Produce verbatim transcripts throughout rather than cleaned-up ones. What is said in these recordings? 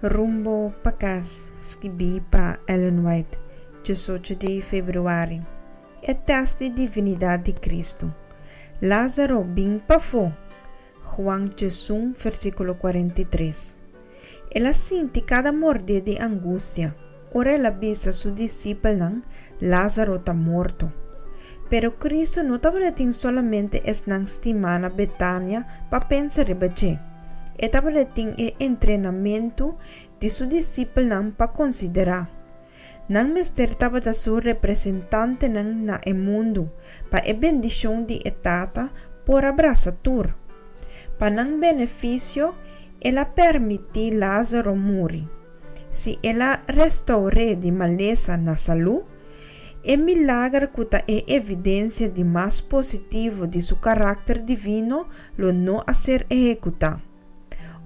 Rumbo pa Kas, skibí pa Ellen White, diesocho di febrüari. E tèst di divinidat di Kristu. Lázaro, bin pafó! Juan diesun, versíkulo kuarenta i tres. El a sinti kada mordé di angustia ora el a bisa su disipelnan, Lázaro ta morto. Pero Kristu no tabatin solamente esnan stimá na Betania pa pensa riba dje. E tabatin e entrenamentu di su disipelnan pa konsiderá. Nan mester tabata su representantenan na e mundu, pa e bendishon di e Tata por a brasa tur. Pa nan benefisio, el a permití Lázaro muri. Si el a restour'é di malesa na salú, e milager ku ta e evidensia di mas positivo di su karakter divino lo no a ser ehekutá.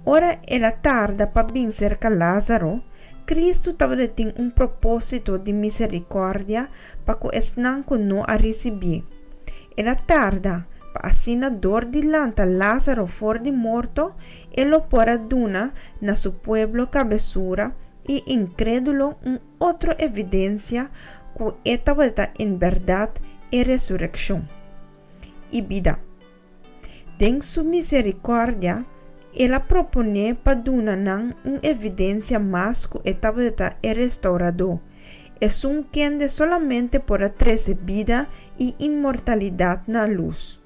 Ora el a tarda pa bin serka Lázaro, Kristu tabatin un propósito di miserikòrdia pa ku esnan ku no a risibié. El a tarda pa asina dor di lanta Lázaro for di morto e lo por a duna na su pueblo kabesura i inkrédulo un otro evidensia ku e tabata en bèrdat e resurekshon i bida. Den su miserikòrdia, el a proponé pa duna nan un evidensia mas ku e tabata e Restauradó, esun kende solamente por a trese bida i inmortalidat na lus.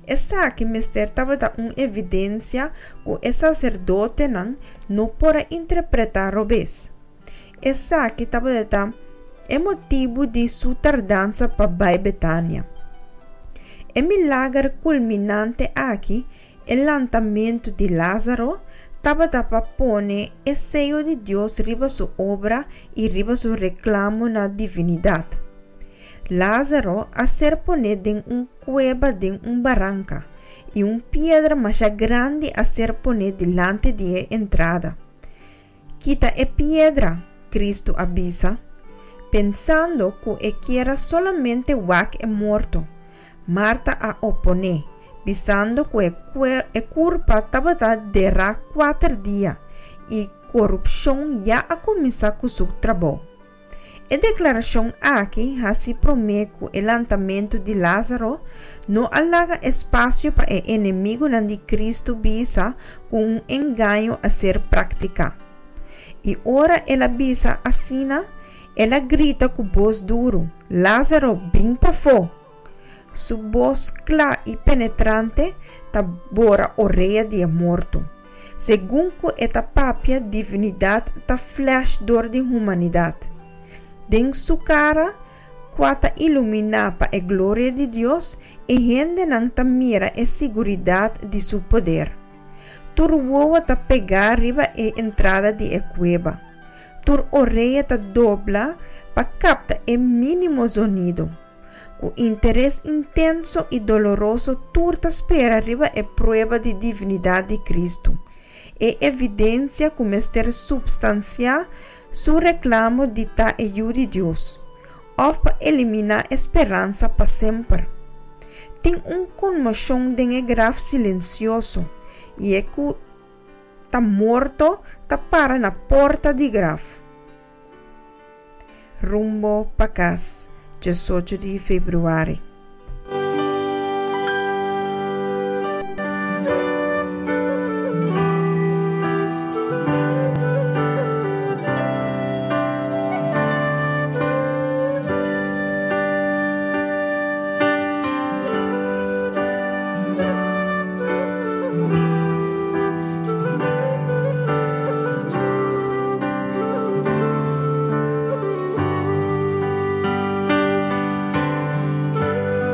Esaki mester tabata un evidensia ku e saserdotenan no por a interpretá robes. Esaki tabata e motibu di su tardansa pa bai Betania. E milager kulminante aki, e lantamentu di Lázaro, tabata pa pone e seyo di Dios riba su obra i riba su reklamo na divinidat. Lázaro a ser poné den un kueba den un baranka, i un piedra masha grandi a ser poné dilanti di e entrada. Kita e piedra, Kristu a bisa, pensando ku e kier a solamente wak e morto. Marta a oponé, bisando ku e e kurpa tabata derá kuater dia i korupshon ya a kuminsá ku su trabou. E deklarashon aki, hasi promé ku e lantamentu di Lázaro, no a laga espasio pa e enemigunan di Kristu bisa ku un engaño a ser praktiká. I ora el a bisa asina, el a grita ku bos duru, Lázaro, bin pafó! Su bos kla i penetrante ta bora orea di e morto. Segun ku e ta papia, divinidat ta flash dor di humanidat. Den su kara, kua ta iluminá pa e gloria di Dios, e hendenan ta mira e siguridat di su poder. Tur wowo ta pegá riba e entrada di e kueba. Tur orea ta dobla pa kapta e mínimo zonido. Ku interes intenso i doloroso tur ta spera riba e prueba di divinidat di Kristu, e evidensia ku mester supstansiá su reklamo di ta e Yu di Dios, òf pa eliminá e speransa pa semper. Tin un konmoshon den e graf silensioso, i e ku ta morto ta para na porta di graf. Rumbo pa kas, diesocho di febrüari.